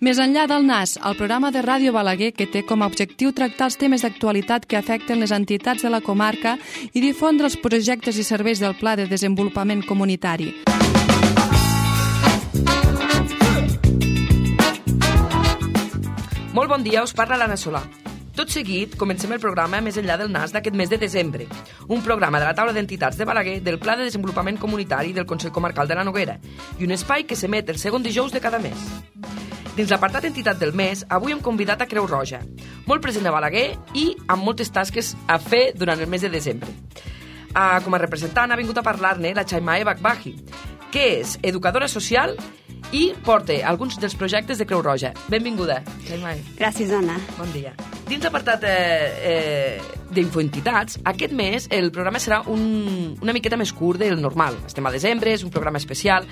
Més enllà del NAS, el programa de Ràdio Balaguer que té com a objectiu tractar els temes d'actualitat que afecten les entitats de la comarca i difondre els projectes i serveis del Pla de Desenvolupament Comunitari. Molt bon dia, us parla l'Anna Solà. Tot seguit, comencem el programa Més enllà del NAS d'aquest mes de desembre, un programa de la taula d'entitats de Balaguer del Pla de Desenvolupament Comunitari del Consell Comarcal de la Noguera i un espai que s'emet el segon dijous de cada mes. Dins l'apartat entitat del mes, avui hem convidat a Creu Roja, molt present a Balaguer i amb moltes tasques a fer durant el mes de desembre. Com a representant ha vingut a parlar-ne la Chaimae Bakbahi, que és educadora social i porta alguns dels projectes de Creu Roja. Benvinguda, Chaimae. Gràcies, Anna. Bon dia. Dins l'apartat d'infoentitats, aquest mes el programa serà una miqueta més curt del normal. Estem a desembre, és un programa especial.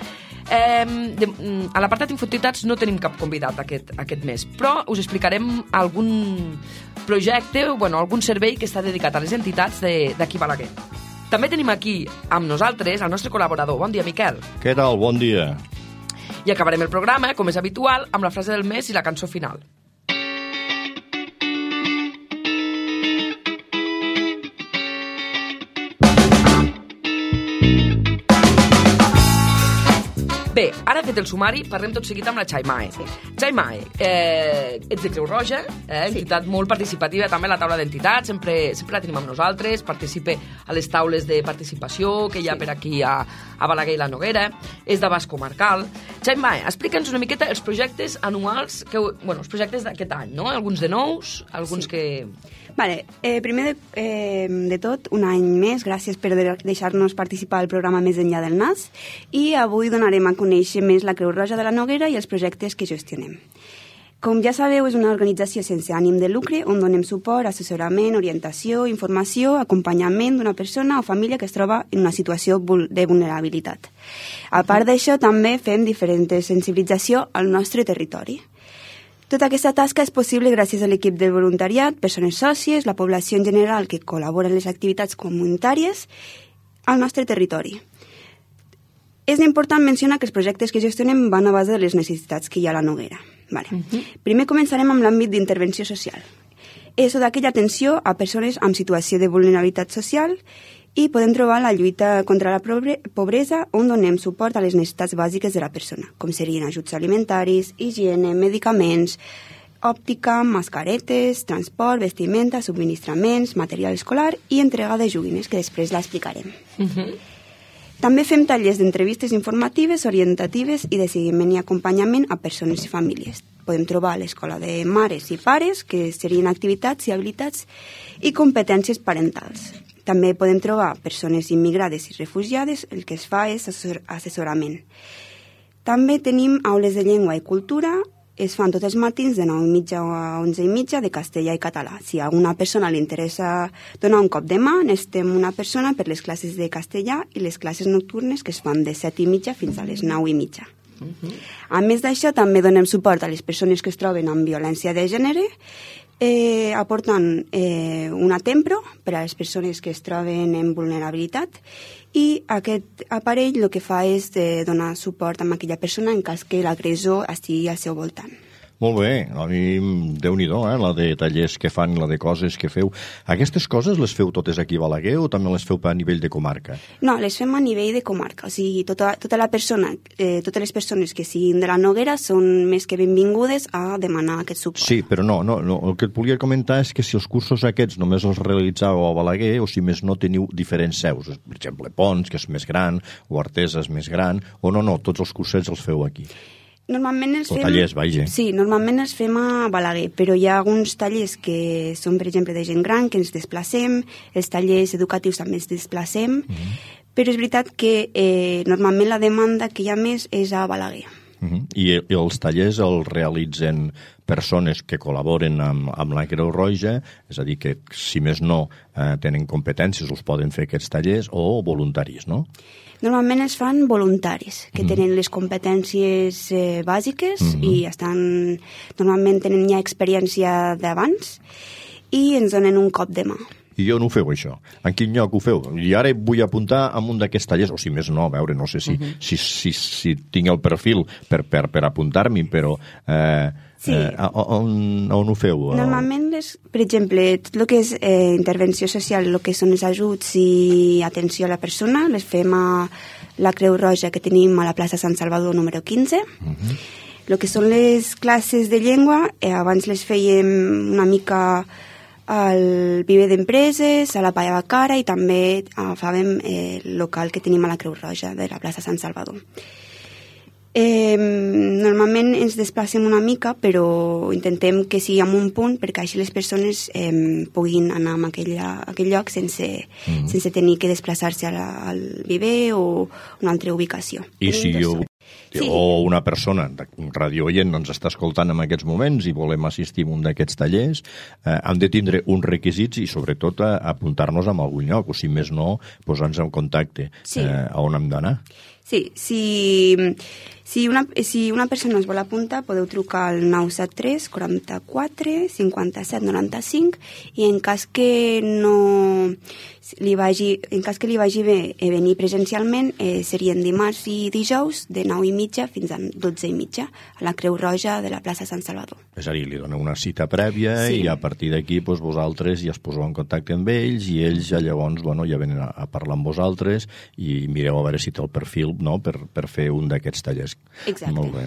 A l'apartat d'infoentitats no tenim cap convidat aquest mes, però us explicarem algun projecte, algun servei que està dedicat a les entitats d'aquí Balaguer. També tenim aquí amb nosaltres el nostre col·laborador. Bon dia, Miquel. Què tal? Bon dia. I acabarem el programa, com és habitual, amb la frase del mes i la cançó final. Bé, ara fet el sumari, parlem tot seguit amb la Chaimae. Sí. Chaimae, ets de Creu Roja, entitat molt participativa, també a la taula d'entitats, sempre la tenim amb nosaltres, participa a les taules de participació que hi ha per aquí a Balaguer i la Noguera, és d'abast comarcal. Chaimae, explica'ns una miqueta els projectes anuals, els projectes d'aquest any, no? Alguns de nous, alguns que... Vale, primer de tot, un any més, gràcies per deixar-nos participar al programa Més enllà del NAS, i avui donarem a conèixer més la Creu Roja de la Noguera i els projectes que gestionem. Com ja sabeu, és una organització sense ànim de lucre on donem suport, assessorament, orientació, informació, acompanyament d'una persona o família que es troba en una situació de vulnerabilitat. A part d'això, també fem diferent sensibilització al nostre territori. Tota aquesta tasca és possible gràcies a l'equip del voluntariat, persones sòcies, la població en general que col·labora en les activitats comunitàries al nostre territori. És important mencionar que els projectes que gestionem van a base de les necessitats que hi ha a la Noguera. Vale. Primer començarem amb l'àmbit d'intervenció social. És d'aquella atenció a persones amb situació de vulnerabilitat social i podem trobar la lluita contra la pobresa on donem suport a les necessitats bàsiques de la persona, com serien ajuts alimentaris, higiene, medicaments, òptica, mascaretes, transport, vestimenta, subministraments, material escolar i entrega de joguines, que després l'explicarem. També fem tallers d'entrevistes informatives, orientatives i de seguiment i acompanyament a persones i famílies. Podem trobar a l'escola de mares i pares, que serien activitats i habilitats i competències parentals. També podem trobar persones immigrades i refugiades, el que es fa és assessorament. També tenim aules de llengua i cultura, es fan tots els matins de 9:30 a 11:30 de castellà i català. Si a alguna persona li interessa donar un cop de mà, necessitem una persona per les classes de castellà i les classes nocturnes que es fan de 7:30 fins a les 9:30. A més d'això, també donem suport a les persones que es troben amb violència de gènere, aportant una tempro per a les persones que es troben en vulnerabilitat, i aquest aparell el que fa és donar suport a aquella persona en cas que l'agressor estigui al seu voltant. Molt bé, a mi Déu-n'hi-do, la de tallers que fan, la de coses que feu. Aquestes coses les feu totes aquí a Balaguer o també les feu a nivell de comarca? No, les fem a nivell de comarca, o sigui, totes les persones que siguin de la Noguera són més que benvingudes a demanar aquest suport. Sí, però no, el que et volia comentar és que si els cursos aquests només els realitzàveu a Balaguer o si més no teniu diferents seus, per exemple, Pons, que és més gran, o Artesa és més gran, o no, tots els cursets els feu aquí. Normalment els fem... tallers, vaja. Sí, normalment els fem a Balaguer, però hi ha alguns tallers que són, per exemple, de gent gran, que ens desplacem, els tallers educatius també ens desplacem, però és veritat que normalment la demanda que hi ha més és a Balaguer. I els tallers els realitzen persones que col·laboren amb la Creu Roja, és a dir, que si més no tenen competències els poden fer aquests tallers, o voluntaris, no? Normalment es fan voluntaris, que tenen les competències bàsiques i normalment tenen ja experiència d'abans i ens donen un cop de mà. I on ho feu, això? En quin lloc ho feu? I ara vull apuntar a un d'aquests tallers, o si més no, a veure, no sé si tinc el perfil per apuntar-m'hi, però Sí. On ho feu? Normalment, per exemple, tot el que és intervenció social, el que són els ajuts i atenció a la persona, les fem a la Creu Roja que tenim a la plaça Sant Salvador número 15. El que són les classes de llengua, abans les fèiem una mica al Viver d'Empreses, a la Palla Bacara, i també fèiem el local que tenim a la Creu Roja de la plaça Sant Salvador. Normalment ens desplacem una mica, però intentem que sigui en un punt perquè així les persones puguin anar a aquell lloc sense tenir que desplaçar-se al Viver o una altra ubicació. I si o una persona, un radiooient, ens està escoltant en aquests moments i volem assistir a un d'aquests tallers, hem de tindre uns requisits i sobretot apuntar-nos a algun lloc, o si més no, posar-nos en contacte. A on hem d'anar? Sí, si una persona es vol apuntar, podeu trucar al 973 44 57 95 i en cas que li vagi bé venir presencialment, serien dimarts i dijous de 9:30 fins a 12:30 a la Creu Roja de la plaça Sant Salvador. És a dir, li doneu una cita prèvia i a partir d'aquí vosaltres ja es poseu en contacte amb ells i ells ja llavors ja venen a parlar amb vosaltres i mireu a veure si té el perfil per fer un d'aquests tallers. Exacte. Molt bé.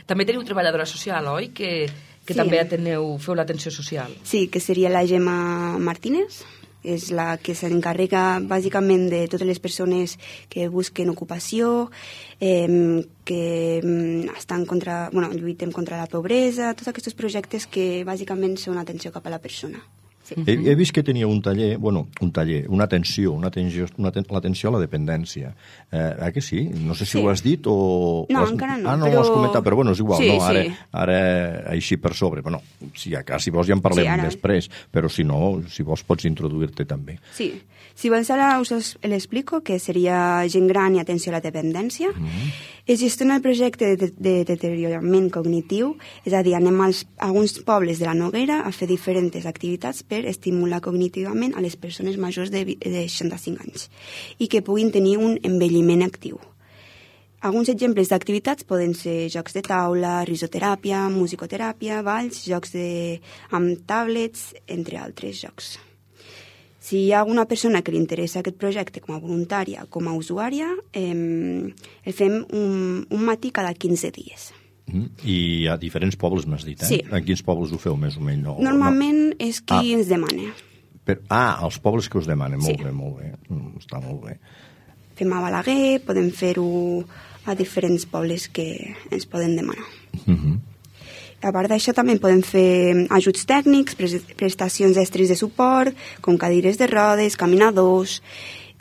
També teniu treballadora social, oi? Que també feu l'atenció social. Sí, que seria la Gemma Martínez, és la que s'encarrega bàsicament de totes les persones que busquen ocupació, que lluitem contra la pobresa, tots aquests projectes que bàsicament són atenció cap a la persona. Sí. He vist que tenia una atenció a la dependència. Que sí? No sé si ho has dit o... No, encara no. No ho has comentat, però bueno, és igual. Ara així per sobre. Bueno, si vols ja en parlem després, però si no, si vols pots introduir-te també. Sí. Si vols ara us l'explico, que seria gent gran i atenció a la dependència. Es gestiona el projecte de deteriorament cognitiu, és a dir, anem a alguns pobles de la Noguera a fer diferents activitats per estimular cognitivament a les persones majors de 65 anys i que puguin tenir un envelliment actiu. Alguns exemples d'activitats poden ser jocs de taula, risoteràpia, musicoteràpia, balls, jocs amb tablets, entre altres jocs. Si hi ha alguna persona que li interessa aquest projecte com a voluntària o com a usuària, el fem un matí cada 15 dies. I a diferents pobles m'has dit, Sí. En quins pobles ho feu, més o menys? Normalment és qui ens demana. Els pobles que us demanen, molt bé. Està molt bé. Fem a Balaguer, podem fer-ho a diferents pobles que ens poden demanar. A part d'això també podem fer ajuts tècnics, prestacions extres de suport, com cadires de rodes, caminadors,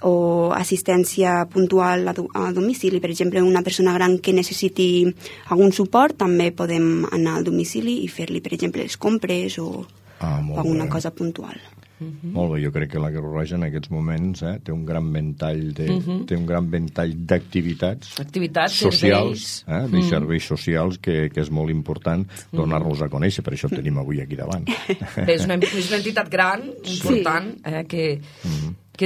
o assistència puntual a domicili. Per exemple, una persona gran que necessiti algun suport, també podem anar al domicili i fer-li, per exemple, les compres o alguna cosa puntual. Molt bé, jo crec que la Creu Roja en aquests moments té un gran ventall d'activitats socials, de serveis socials que és molt important donar-los a conèixer, per això el tenim avui aquí davant. Bé, és una entitat gran, important, que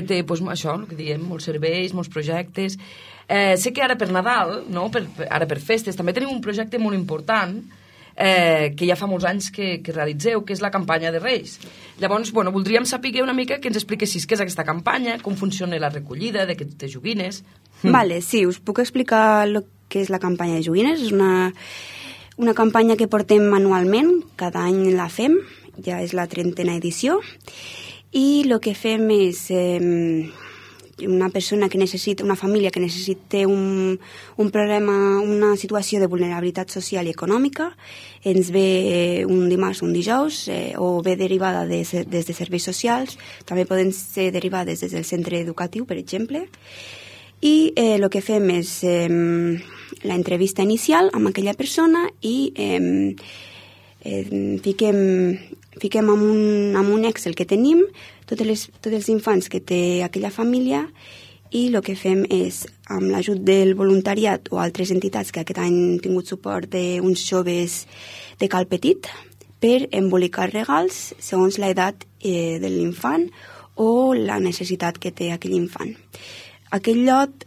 té, això, el que diem, molts serveis, molts projectes. Sé que ara per Nadal, ara per festes, també tenim un projecte molt important que ja fa molts anys que realitzeu, que és la campanya de Reis. Llavors, voldríem saber una mica que ens expliquessis què és aquesta campanya, com funciona la recollida de joguines. Vale, sí, us puc explicar el que és la campanya de joguines. És una campanya que portem anualment, cada any la fem, ja és la 30a edició, i el que fem és... una família que necessita un problema, una situació de vulnerabilitat social i econòmica, ens ve un dimarts o un dijous, o ve derivada des de serveis socials, també poden ser derivades des del centre educatiu, per exemple, i el que fem és l'entrevista inicial amb aquella persona i fiquem en un Excel que tenim tots els infants que té aquella família i el que fem és, amb l'ajut del voluntariat o altres entitats que aquest any han tingut suport d'uns joves de Cal Petit, per embolicar regals segons l'edat de l'infant o la necessitat que té aquell infant. Aquell lot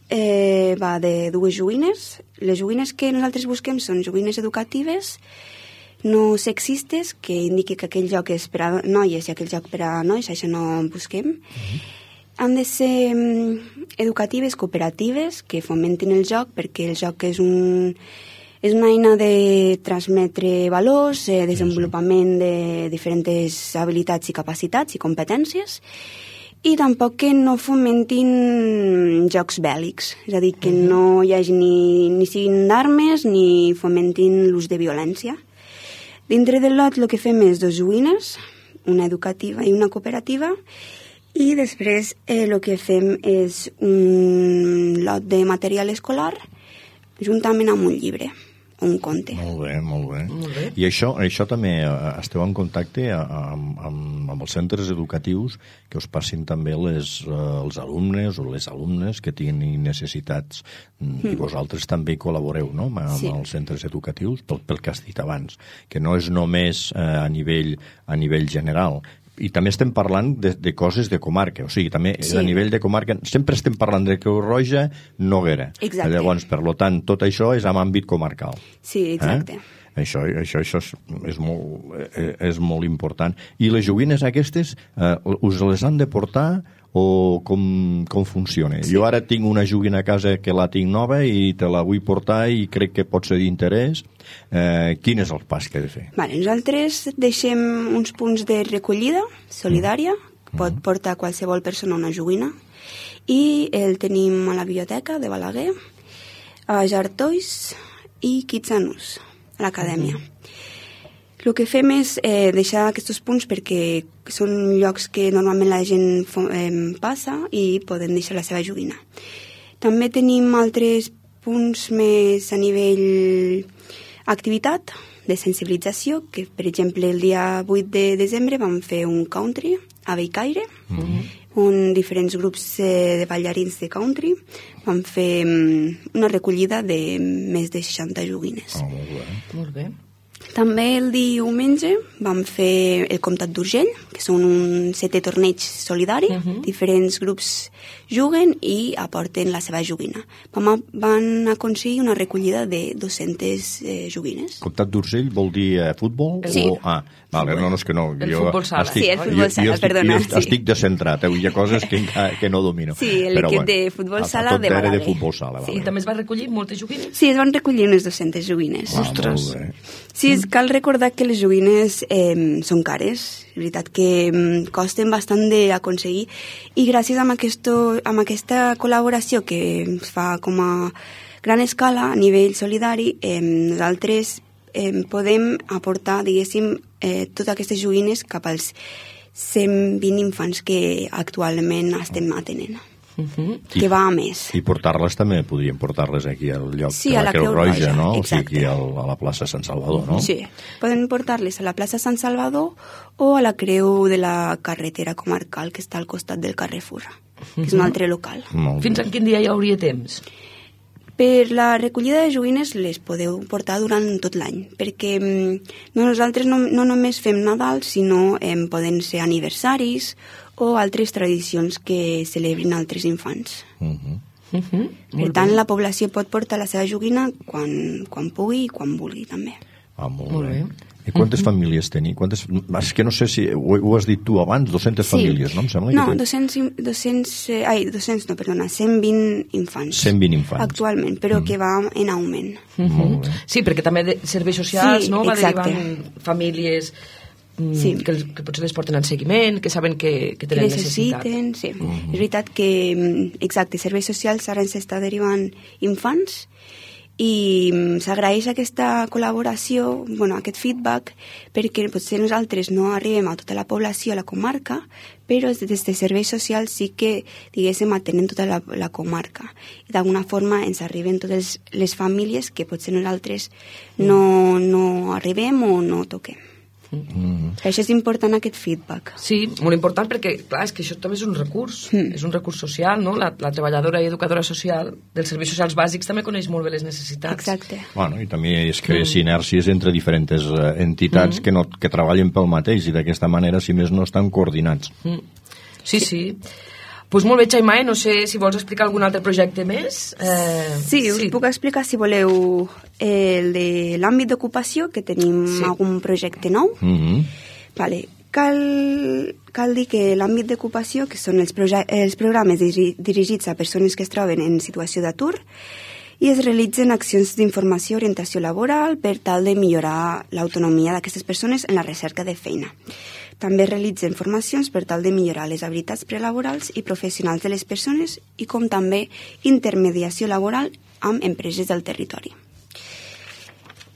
va de 2 joguines. Les joguines que nosaltres busquem són joguines educatives, no sexistes, que indiqui que aquell joc és per a noies i aquell joc per a nois, això no en busquem. Han de ser educatives, cooperatives, que fomentin el joc, perquè el joc és una eina de transmetre valors, desenvolupament de diferents habilitats i capacitats i competències, i tampoc que no fomentin jocs bèl·lics, és a dir, que no hi hagi ni siguin d'armes ni fomentin l'ús de violència. Dintre del lot el que fem és 2 joguines, una educativa i una cooperativa, i després el que fem és un lot de material escolar juntament amb un llibre o un conte. Molt bé. I això també esteu en contacte amb els centres educatius que us passin també els alumnes o les alumnes que tinguin necessitats i vosaltres també col·laboreu, no?, amb els centres educatius pel que has dit abans, que no és només a nivell general. I també estem parlant de coses de comarca, o sigui, també a nivell de comarca sempre estem parlant de Creu Roja, Noguera. Exacte. Llavors, per tant, tot això és en àmbit comarcal. Sí, exacte. Això és molt important. I les joguines aquestes us les han de portar o com funciona? Sí. Jo ara tinc una joguina a casa que la tinc nova i te la vull portar i crec que pot ser d'interès. Quin és el pas que he de fer? Nosaltres deixem uns punts de recollida solidària, pot portar qualsevol persona una joguina, i el tenim a la biblioteca de Balaguer, a Jartois i Kitsanus, a l'acadèmia. El que fem és deixar aquests punts perquè són llocs que normalment la gent passa i poden deixar la seva joguina. També tenim altres punts més a nivell activitat, de sensibilització, que per exemple el dia 8 de desembre vam fer un country a Bellcaire, on diferents grups de ballarins de country van fer una recollida de més de 60 joguines. Molt bé. També el diumenge vam fer el Comtat d'Urgell, que són un 7è torneig solidari. Diferents grups juguen i aporten la seva joguina. Van aconseguir una recollida de 200 joguines. Comtat d'Urgell vol dir futbol? Sí. Vale, no, és que no. El futbol sala. Sí, el futbol sala, perdona. Jo estic descentrat, hi ha coses que no domino. Sí, l'equip de futbol sala de Balaguer. De futbol sala, sí, també es va recollir moltes joguines? Sí, es van recollir unes 200 joguines. Ostres! Sí, cal recordar que les joguines són cares, és veritat que costen bastant d'aconseguir, i gràcies a aquesta col·laboració que es fa com a gran escala a nivell solidari, nosaltres podem aportar, diguéssim, totes aquestes joguines cap als 120 infants que actualment estem atenent. Que va a més. I portar-les també, podríem portar-les aquí al lloc sí, de la Creu Roja, no? Exacte. O sigui, a la plaça Sant Salvador, no? Sí, poden portar-les a la plaça Sant Salvador o a la Creu de la carretera comarcal que està al costat del Carrefour, que és un altre local. Fins a quin dia hi hauria temps? Per la recollida de joguines les podeu portar durant tot l'any, perquè nosaltres no només fem Nadal, sinó poden ser aniversaris o altres tradicions que celebrin altres infants. Per tant, la població pot portar la seva joguina quan pugui i quan vulgui, també. Molt bé. I quantes famílies teniu? És que no sé si ho has dit tu abans, 200 famílies, no? Em sembla no, 120 infants. 120 infants. Actualment, però que va en augment. Molt bé. Sí, perquè també de serveis socials, no? Va derivant famílies que potser les porten en seguiment, que saben que tenen necessitat. Sí. És veritat que, exacte, serveis socials ara ens està derivant infants, i s'agraeix aquesta col·laboració, aquest feedback, perquè potser nosaltres no arribem a tota la població, a la comarca, però des de serveis socials sí que, diguéssim, atenem tota la comarca. I d'alguna forma ens arriben totes les famílies que potser nosaltres no arribem o no toquem. Això és important, aquest feedback. Sí, molt important, perquè, clar, és que això també és un recurs, és un recurs social, no? La treballadora i educadora social dels serveis socials bàsics també coneix molt bé les necessitats. Exacte. Bueno, i també es creen sinèrcies entre diferents entitats que treballen pel mateix i d'aquesta manera, si més no, estan coordinats. Sí. Pues molt bé, Xaimai, no sé si vols explicar algun altre projecte més. Sí, us puc explicar, si voleu, el de l'àmbit d'ocupació, que tenim algun projecte nou. Vale. Cal dir que l'àmbit d'ocupació, que són els programes dirigits a persones que es troben en situació d'atur, i es realitzen accions d'informació i orientació laboral per tal de millorar l'autonomia d'aquestes persones en la recerca de feina. També realitzen formacions per tal de millorar les habilitats prelaborals i professionals de les persones i com també intermediació laboral amb empreses del territori.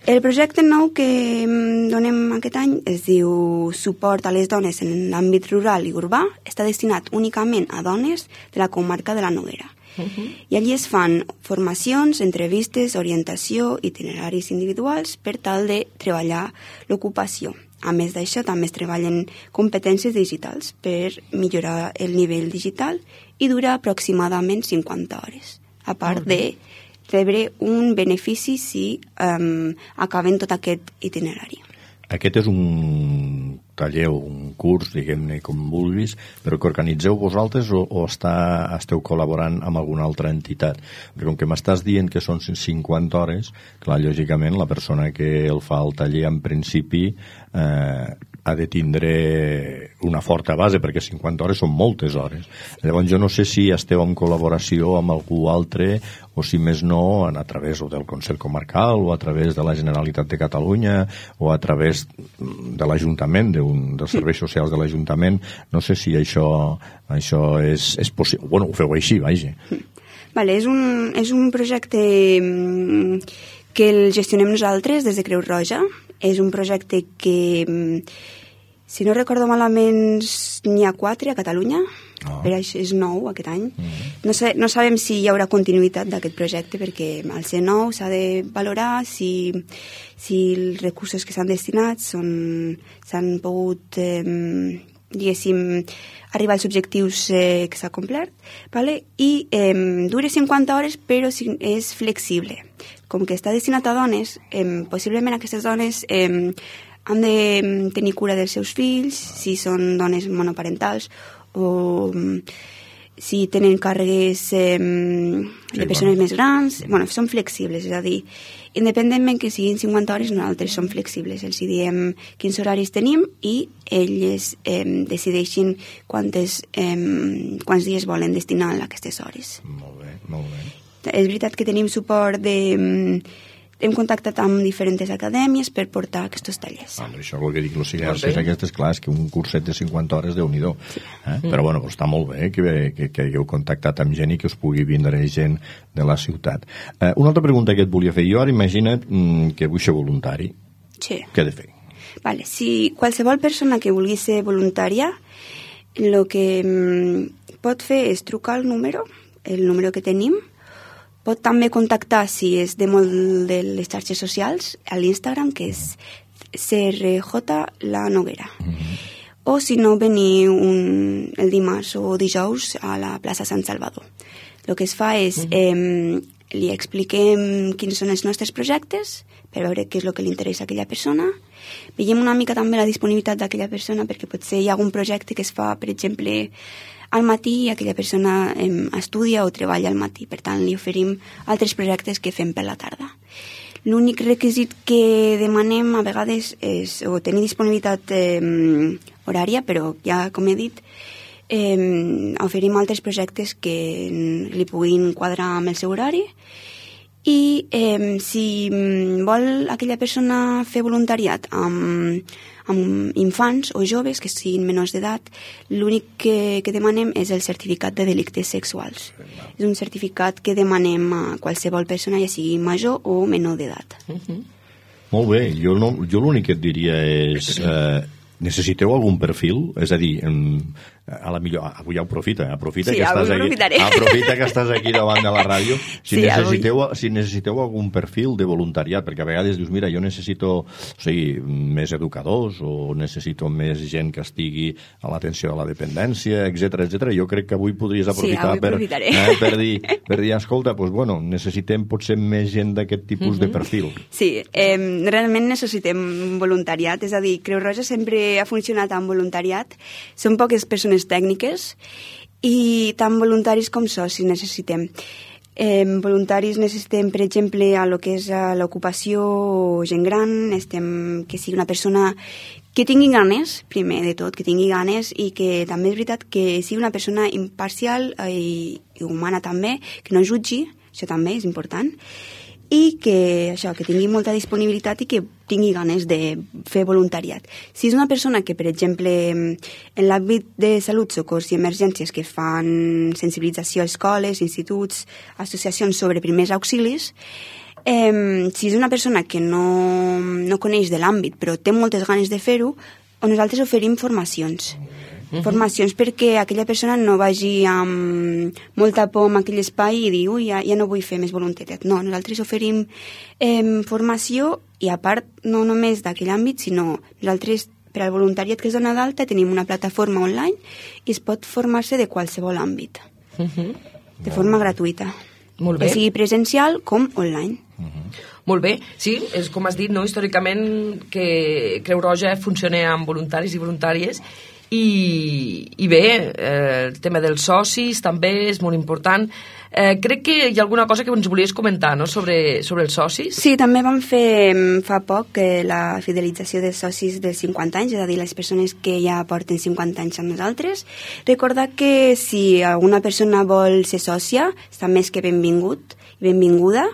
El projecte nou que donem aquest any es diu Suport a les dones en l'àmbit rural i urbà. Està destinat únicament a dones de la comarca de la Noguera. I allí es fan formacions, entrevistes, orientació, itineraris individuals per tal de treballar l'ocupació. A més d'això, també es treballen competències digitals per millorar el nivell digital i dura aproximadament 50 hores, a part de rebre un benefici si acaben tot aquest itinerari. Aquest és un taller o un curs, diguem-ne com vulguis, però que organitzeu vosaltres o esteu col·laborant amb alguna altra entitat? Perquè com que m'estàs dient que són 50 hores, clar, lògicament la persona que el fa el taller en principi ha de tindre una forta base, perquè 50 hores són moltes hores. Llavors jo no sé si esteu en col·laboració amb algú altre o si més no a través del Consell Comarcal o a través de la Generalitat de Catalunya o a través de l'Ajuntament, dels serveis socials de l'Ajuntament. No sé si això és possible. Bueno, ho feu així, vaja. Vale, és un projecte que el gestionem nosaltres des de Creu Roja. És un projecte que, si no recordo malament, n'hi ha 4 a Catalunya. Per això és nou aquest any. No sabem si hi haurà continuïtat d'aquest projecte, perquè al ser nou s'ha de valorar si els recursos que s'han destinat s'han pogut, diguéssim, arribar als objectius que s'ha complert, vale? I dura 50 hores, però és flexible. Com que està destinat a dones, possiblement aquestes dones han de tenir cura dels seus fills, si són dones monoparentals, o si tenen càrregues de persones més grans. Bueno, són flexibles, és a dir, independentment que siguin 50 hores, nosaltres som flexibles. Els diem quins horaris tenim i elles decideixin quants dies volen destinar a aquestes hores. Molt bé, molt bé. És veritat que tenim suport hem contactat amb diferents acadèmies per portar aquests tallers. Això és el que dic, no sigui aquestes, clar, és que un curset de 50 hores, Déu-n'hi-do. Però bueno, està molt bé que hagueu contactat amb gent i que us pugui vindre gent de la ciutat. Una altra pregunta que et volia fer jo, ara imagina't que vull ser voluntari. Sí. Què he de fer? Vale, si qualsevol persona que vulgui ser voluntària, el que pot fer és trucar el número que tenim. Pot també contactar, si és de molt de les xarxes socials, a l'Instagram, que és CRJ La Noguera. O si no, venir el dimarts o dijous a la plaça Sant Salvador. El que es fa és, li expliquem quins són els nostres projectes, per veure què és el que li interessa a aquella persona. Veiem una mica també la disponibilitat d'aquella persona, perquè potser hi ha algun projecte que es fa, per exemple, al matí i aquella persona estudia o treballa al matí. Per tant, li oferim altres projectes que fem per la tarda. L'únic requisit que demanem a vegades és tenir disponibilitat horària, però ja, com he dit, oferim altres projectes que li puguin quadrar amb el seu horari. I si vol aquella persona fer voluntariat amb infants o joves que siguin menors d'edat, l'únic que demanem és el certificat de delictes sexuals. És un certificat que demanem a qualsevol persona, ja sigui major o menor d'edat. Molt bé, jo l'únic que et diria és necessiteu algun perfil? És a dir, a la millor... Avui ja aprofita sí, aprofita que estàs aquí davant de la ràdio. Si sí, necessiteu algun perfil de voluntariat, perquè a vegades dius, mira, jo necessito més educadors o necessito més gent que estigui a l'atenció de la dependència, etc. Jo crec que avui podries aprofitar per dir, escolta, doncs, bueno, necessitem potser més gent d'aquest tipus de perfil. Sí, realment necessitem voluntariat, és a dir, Creu Roja sempre ha funcionat amb voluntariat. Són poques persones tècniques i tant voluntaris com socis necessitem. Voluntaris necessitem, per exemple, a lo que és l'ocupació o gent gran, que sigui una persona que tingui ganes, primer de tot, que tingui ganes i que també és veritat que sigui una persona imparcial i humana també, que no jutgi, això també és important, i que tingui molta disponibilitat i que tingui ganes de fer voluntariat. Si és una persona que, per exemple, en l'àmbit de salut, socors i emergències que fan sensibilització a escoles, instituts, associacions sobre primers auxilis, si és una persona que no coneix de l'àmbit però té moltes ganes de fer-ho, nosaltres oferim formacions. Formacions perquè aquella persona no vagi amb molta por en aquell espai i dir, ja no vull fer més voluntariat. No, nosaltres oferim formació i a part no només d'aquell àmbit, sinó nosaltres per al voluntariat que es dona d'alta tenim una plataforma online i es pot formar-se de qualsevol àmbit, de forma gratuïta. Molt bé. Que sigui presencial com online. Molt bé, sí, és com has dit, no? Històricament que Creu Roja funciona amb voluntaris i voluntàries i bé, el tema dels socis també és molt important. Crec que hi ha alguna cosa que ens volies comentar, no?, sobre els socis. Sí, també vam fer fa poc la fidelització dels socis dels 50 anys, és a dir, les persones que ja porten 50 anys amb nosaltres. Recordar que si alguna persona vol ser sòcia, està més que benvinguda,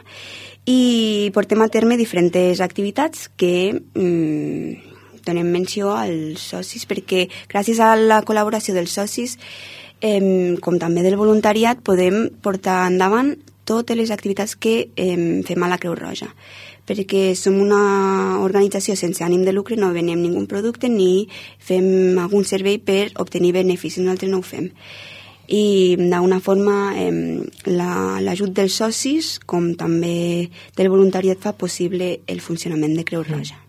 i portem a terme diferents activitats que donem menció als socis perquè gràcies a la col·laboració dels socis com també del voluntariat podem portar endavant totes les activitats que fem a la Creu Roja perquè som una organització sense ànim de lucre, no venem ningú producte ni fem algun servei per obtenir beneficis, nosaltres no ho fem i d'una forma l'ajut dels socis com també del voluntariat fa possible el funcionament de Creu Roja.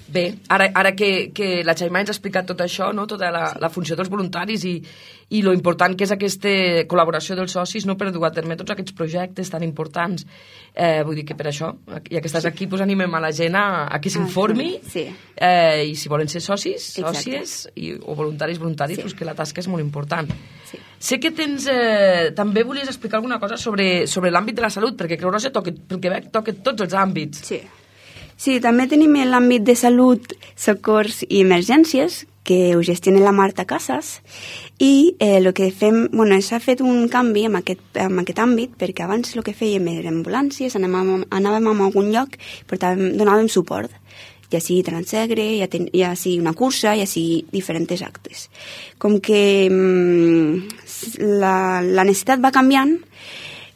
Bé, ara que la Xaimà ens ha explicat tot això, no? Tota la funció dels voluntaris i lo important que és aquesta col·laboració dels socis, no, per dur a terme tots aquests projectes tan importants. Vull dir que per això, ja que estàs aquí, pues animem a la gent a que s'informi i si volen ser socis, sòcies o voluntaris, pues que la tasca és molt important. Sí. Sé que també volies explicar alguna cosa sobre l'àmbit de la salut, perquè Creu Roja toca tots els àmbits. Sí, també tenim l'àmbit de salut, socors i emergències, que ho gestiona la Marta Casas, i el que fem, s'ha fet un canvi en aquest àmbit, perquè abans el que fèiem era ambulàncies, anàvem a algun lloc i donàvem suport, ja sigui transegre, ja sigui una cursa, ja sigui diferents actes. Com que la necessitat va canviant,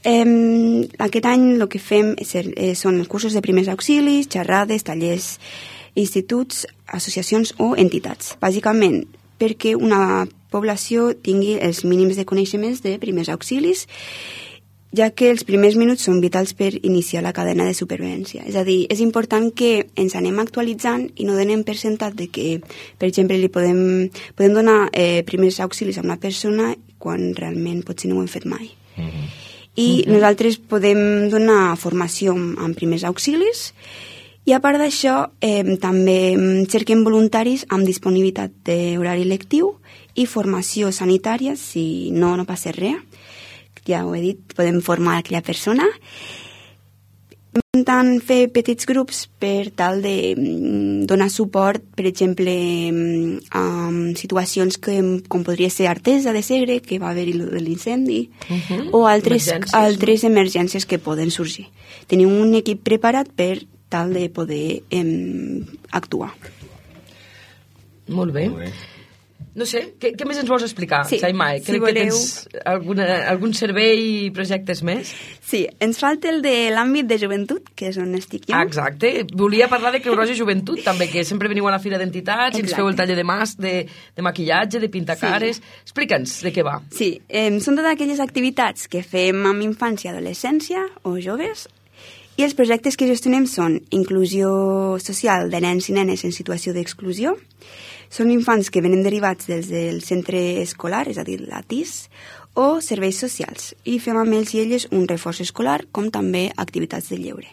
aquest any el que fem són els cursos de primers auxilis, xerrades, tallers, instituts, associacions o entitats. Bàsicament perquè una població tingui els mínims de coneixements de primers auxilis, ja que els primers minuts són vitals per iniciar la cadena de supervivència. És a dir, és important que ens anem actualitzant i no donem per sentat de que, per exemple, li podem donar primers auxilis a una persona quan realment potser no ho hem fet mai. I nosaltres podem donar formació en primers auxilis i a part d'això també cerquem voluntaris amb disponibilitat d'horari lectiu i formació sanitària, si no passa res, ja ho he dit, podem formar aquella persona. Intentant fer petits grups per tal de donar suport, per exemple, a situacions com podria ser Artesa de Segre, que va haver-hi l'incendi, o altres emergències que poden sorgir. Tenim un equip preparat per tal de poder actuar. Molt bé. no sé, què més ens vols explicar, Sí, Xaimai? si Crec voleu... que tens algun servei i projectes més? Sí, ens falta el de l'àmbit de joventut, que és on estic jo. Exacte. Volia parlar de Creu Roja Joventut, també, que sempre veniu a la Fira d'Entitats i ens feu el taller de maquillatge, de pintacares. Sí. Explica'ns de què va. Sí, són totes aquelles activitats que fem amb infància i adolescència o joves, i els projectes que gestionem són inclusió social de nens i nenes en situació d'exclusió, són infants que venen derivats des del centre escolar, és a dir, la TIS, o serveis socials, i fem amb ells i elles un reforç escolar, com també activitats de lleure.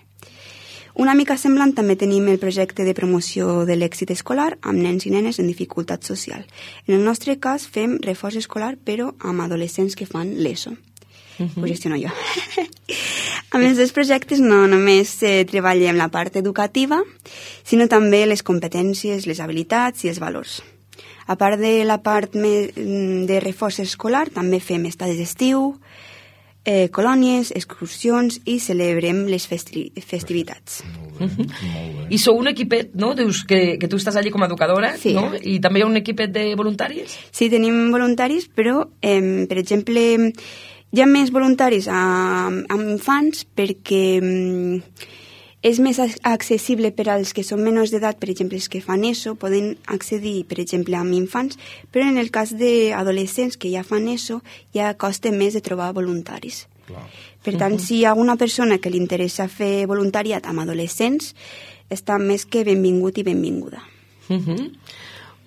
Una mica semblant també tenim el projecte de promoció de l'èxit escolar amb nens i nenes en dificultat social. En el nostre cas fem reforç escolar, però amb adolescents que fan l'ESO. Ho gestiono jo. Amb els dos projectes no només treballem la part educativa, sinó també les competències, les habilitats i els valors. A part de la part de reforç escolar, també fem estades d'estiu, colònies, excursions i celebrem les festivitats. Molt bé. I sou un equipet, no? Dius que tu estàs allí com a educadora, Sí. no? I també hi ha un equipet de voluntaris? Sí, tenim voluntaris, però, per exemple, hi ha més voluntaris amb infants perquè és més accessible per als que són menors d'edat, per exemple, els que fan ESO, poden accedir, per exemple, amb infants, però en el cas d'adolescents que ja fan ESO, ja costa més de trobar voluntaris. Clar. Per tant, si hi ha una persona que li interessa fer voluntariat amb adolescents, està més que benvingut i benvinguda.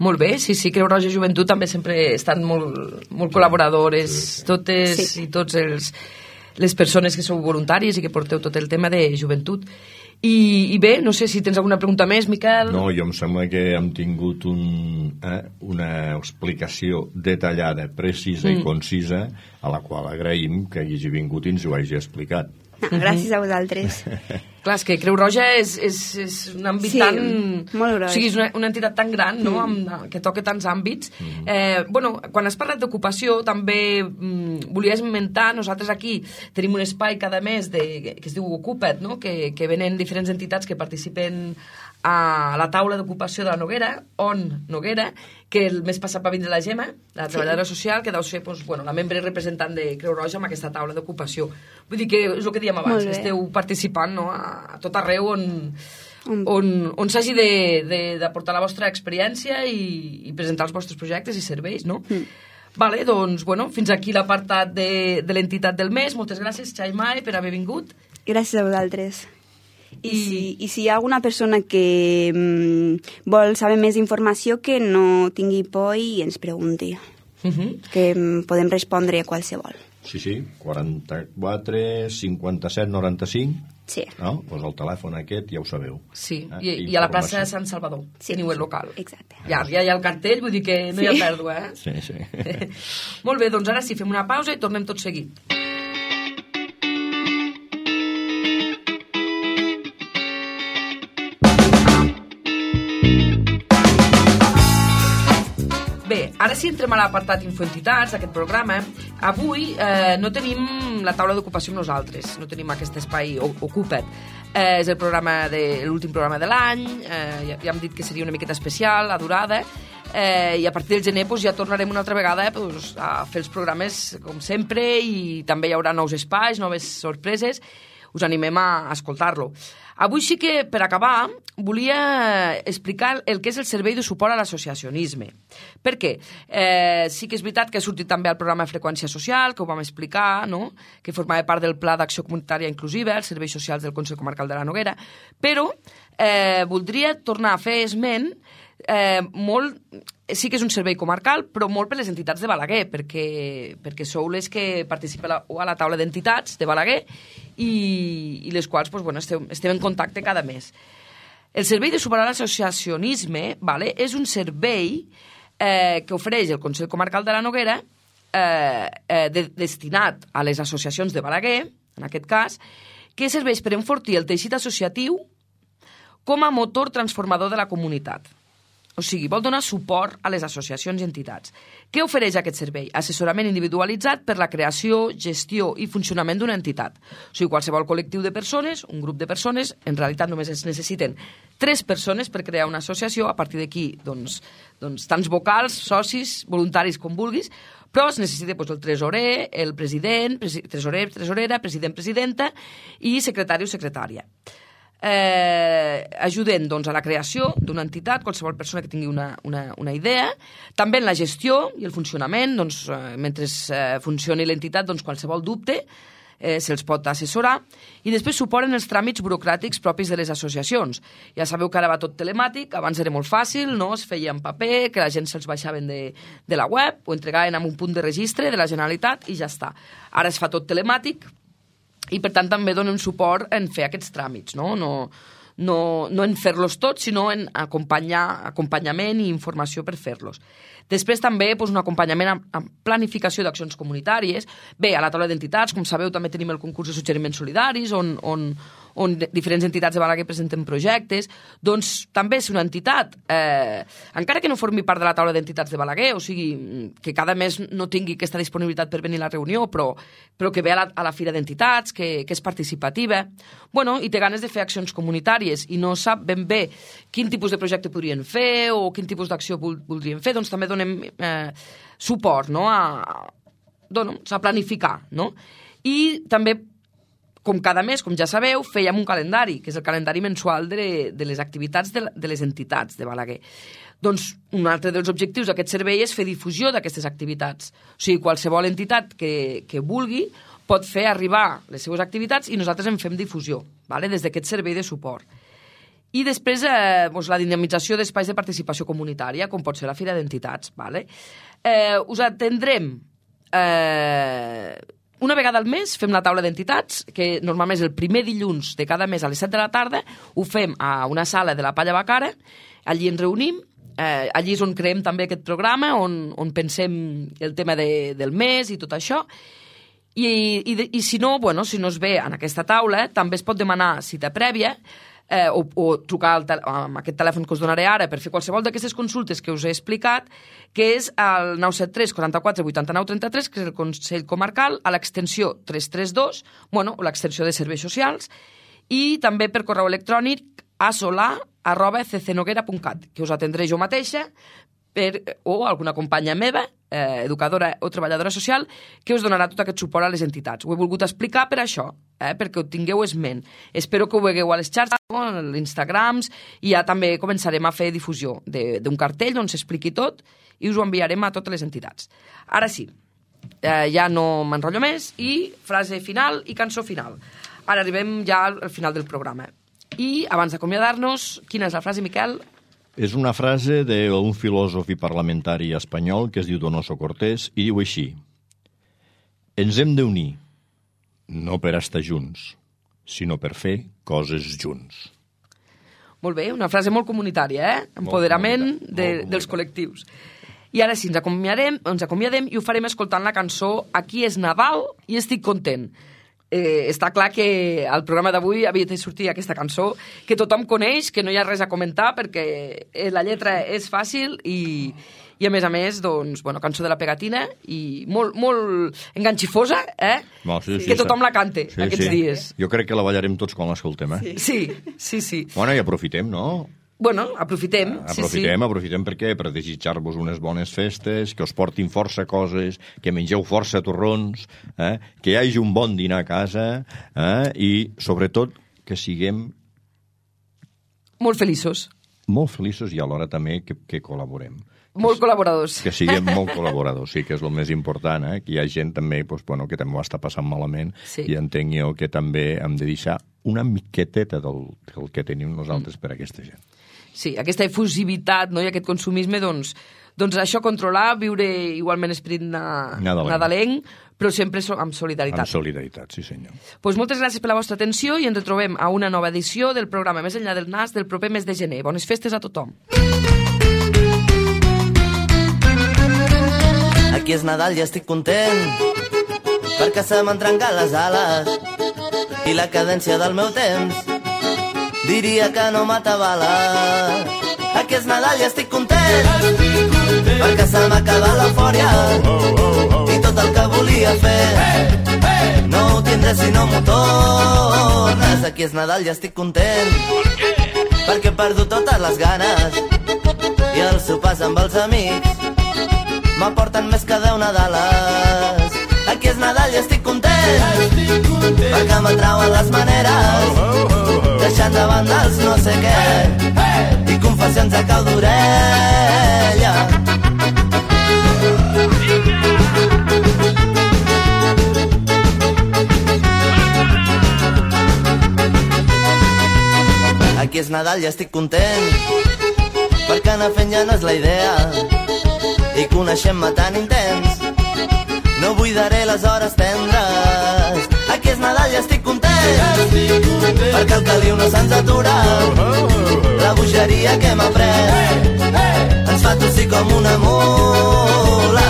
Molt bé, sí, Creu Roja Joventut també sempre estan molt col·laboradores, totes Sí. i tots les persones que sou voluntaris i que porteu tot el tema de joventut. I bé, no sé si tens alguna pregunta més, Miquel. No, jo em sembla que hem tingut una explicació detallada, precisa i concisa, a la qual agraïm que hagi vingut i ens ho hagi explicat. Gràcies a vosaltres. Clar, és que Creu Roja és un àmbit Sí, tan... molt gros. O sigui, és una entitat tan gran, no?, que toca tants àmbits. Bueno, quan has parlat d'ocupació, també volia esmentar, nosaltres aquí tenim un espai cada mes que es diu Ocupa't, no?, que venen diferents entitats que participen a la taula d'ocupació de la Noguera, Noguera, que el mes passat va vindre la Gemma, la treballadora social, que deu ser la membre representant de Creu Roja amb aquesta taula d'ocupació. Vull dir que és el que dèiem abans, que esteu participant, no?, a tot arreu on s'hagi d'aportar la vostra experiència i presentar els vostres projectes i serveis, no? Vale, doncs, fins aquí l'apartat de l'entitat del mes. Moltes gràcies, Xaimai, per haver vingut. Gràcies a vosaltres. I si hi ha alguna persona que vol saber més informació, que no tingui por i ens pregunti, que podem respondre a qualsevol. Sí, 44 57 95. Sí. No? Pues el telèfon aquest ja ho sabeu. Sí, i a la plaça de Sant Salvador, teniu el local. Exacte. Ja hi ha el cartell, vull dir que no hi ha pèrdua, eh? Sí. Molt bé, doncs ara sí, fem una pausa i tornem tot seguit. Bé, ara sí entrem a l'apartat Infoentitats d'aquest programa. Avui no tenim la taula d'ocupació amb nosaltres, no tenim aquest espai Ocupa't. És l'últim programa de l'any, ja hem dit que seria una miqueta especial, la durada, i a partir del gener ja tornarem una altra vegada a fer els programes com sempre, i també hi haurà nous espais, noves sorpreses. Us animem a escoltar-lo. Avui sí que, per acabar, volia explicar el que és el servei de suport a l'associacionisme. Per què? Sí que és veritat que ha sortit també al programa Freqüència Social, que ho vam explicar, no?, que formava part del Pla d'Acció Comunitària Inclusiva, els serveis socials del Consell Comarcal de la Noguera, però voldria tornar a fer esment sí que és un servei comarcal, però molt per les entitats de Balaguer, perquè sou les que participen a la taula d'entitats de Balaguer i les quals estem en contacte cada mes. El servei de suport a l'associacionisme és un servei que ofereix el Consell Comarcal de la Noguera destinat a les associacions de Balaguer, en aquest cas, que serveix per enfortir el teixit associatiu com a motor transformador de la comunitat. O sigui, vol donar suport a les associacions i entitats. Què ofereix aquest servei? Assessorament individualitzat per la creació, gestió i funcionament d'una entitat. O sigui, qualsevol col·lectiu de persones, un grup de persones, en realitat només es necessiten 3 persones per crear una associació, a partir d'aquí, doncs, tants vocals, socis, voluntaris com vulguis, però es necessita el tresorer, el president, tresorer, tresorera, president, presidenta i secretari o secretària. Ajuden a la creació d'una entitat, qualsevol persona que tingui una idea, també en la gestió i el funcionament, mentre funcioni l'entitat, qualsevol dubte se'ls pot assessorar, i després suporen els tràmits burocràtics propis de les associacions. Ja sabeu que ara va tot telemàtic, abans era molt fàcil, no? Es feia en paper, que la gent se'ls baixaven de la web, o entregaven en un punt de registre de la Generalitat i ja està. Ara es fa tot telemàtic, i per tant també donem suport en fer aquests tràmits, no en fer-los tots, sinó en acompanyament i informació per fer-los. Després també un acompanyament amb planificació d'accions comunitàries. Bé, a la taula d'entitats, com sabeu, també tenim el concurs de suggeriments solidaris, on diferents entitats de Balaguer presenten projectes. Doncs també és una entitat, encara que no formi part de la taula d'entitats de Balaguer, o sigui, que cada mes no tingui aquesta disponibilitat per venir a la reunió, però que ve a la fira d'entitats, que és participativa, i té ganes de fer accions comunitàries i no sap ben bé quin tipus de projecte podrien fer o quin tipus d'acció voldrien fer, doncs també donem suport a planificar. I també, com cada mes, com ja sabeu, fèiem un calendari, que és el calendari mensual de les activitats de les entitats de Balaguer. Doncs un altre dels objectius d'aquest servei és fer difusió d'aquestes activitats. O sigui, qualsevol entitat que vulgui pot fer arribar les seves activitats i nosaltres en fem difusió, des d'aquest servei de suport. I després la dinamització d'espais de participació comunitària, com pot ser la Fira d'Entitats. Us atendrem una vegada al mes, fem la taula d'entitats, que normalment és el primer dilluns de cada mes a les 7 de la tarda, ho fem a una sala de la Palla Bacara, allí ens reunim, allí és on creem també aquest programa, on pensem el tema del mes i tot això, i si no es ve en aquesta taula, també es pot demanar cita prèvia, o trucar amb aquest telèfon que us donaré ara per fer qualsevol d'aquestes consultes que us he explicat, que és el 973 44 89 33, que és el Consell Comarcal, a l'extensió 332, o l'extensió de serveis socials, i també per correu electrònic a solar@ccnoguera.cat, que us atendré jo mateixa o alguna companya meva, educadora o treballadora social, que us donarà tot aquest suport a les entitats. Ho he volgut explicar per això, perquè ho tingueu esment. Espero que ho vegueu a les xarxes, a l'Instagrams, i ja també començarem a fer difusió d'un cartell on s'expliqui tot i us ho enviarem a totes les entitats. Ara sí, ja no m'enrotllo més, i frase final i cançó final. Ara arribem ja al final del programa. I abans d'acomiadar-nos, quina és la frase, Miquel? És una frase d'un filòsof i parlamentari espanyol que es diu Donoso Cortés i diu així: ens hem d'unir, no per estar junts, sinó per fer coses junts. Molt bé, una frase molt comunitària, empoderament dels col·lectius. I ara sí, ens acomiadem i ho farem escoltant la cançó Aquí és Nadal i estic content. Està clar que al programa d'avui havia de sortir aquesta cançó que tothom coneix, que no hi ha res a comentar perquè la lletra és fàcil i a més, cançó de la pegatina i molt enganxifosa, que tothom la cante aquests dies. Jo crec que la ballarem tots quan l'escoltem, Sí. Bueno, i aprofitem, no? Aprofitem. Aprofitem perquè per desitjar-vos unes bones festes, que us portin força coses, que mengeu força torrons, que hi hagi un bon dinar a casa i, sobretot, que siguem molt feliços. Molt feliços i alhora també que col·laborem. Molt col·laboradors. Que siguem molt col·laboradors, sí, que és el més important, que hi ha gent també que també ho està passant malament i entenc jo que també hem de deixar una miqueteta del que tenim nosaltres per a aquesta gent. Sí, aquesta efusivitat i aquest consumisme, doncs això controlar, viure igualment esperit nadalenc, però sempre amb solidaritat. Amb solidaritat, sí senyor. Doncs moltes gràcies per la vostra atenció i ens retrobem a una nova edició del programa Més enllà del nas del proper mes de gener. Bones festes a tothom. Aquí és Nadal i estic content perquè se m'han trencat les ales i la cadència del meu temps diria que no m'atabala. Aquí és Nadal i estic content, perquè se m'ha acabat l'eufòria i tot el que volia fer no ho tindré si no m'ho tornes. Aquí és Nadal i estic content, perquè he perdut totes les ganes i els sopars amb els amics m'aporten més que 10 Nadales. Aquí és Nadal i estic content, perquè m'atrauen les maneres, deixant de banda els no sé què i confessions a cau d'orella. Aquí és Nadal i estic content, perquè anar fent ja no és la idea i coneixem-me tan intens no buidaré les hores tendres. Aquí és Nadal i estic content, perquè el caliu no se'ns atura, la bogeria que hem après ens fa tossir com una mula.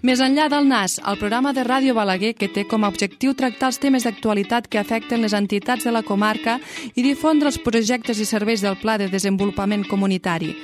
Més enllà del NAS, el programa de Ràdio Balaguer que té com a objectiu tractar els temes d'actualitat que afecten les entitats de la comarca i difondre els projectes i serveis del Pla de Desenvolupament Comunitari.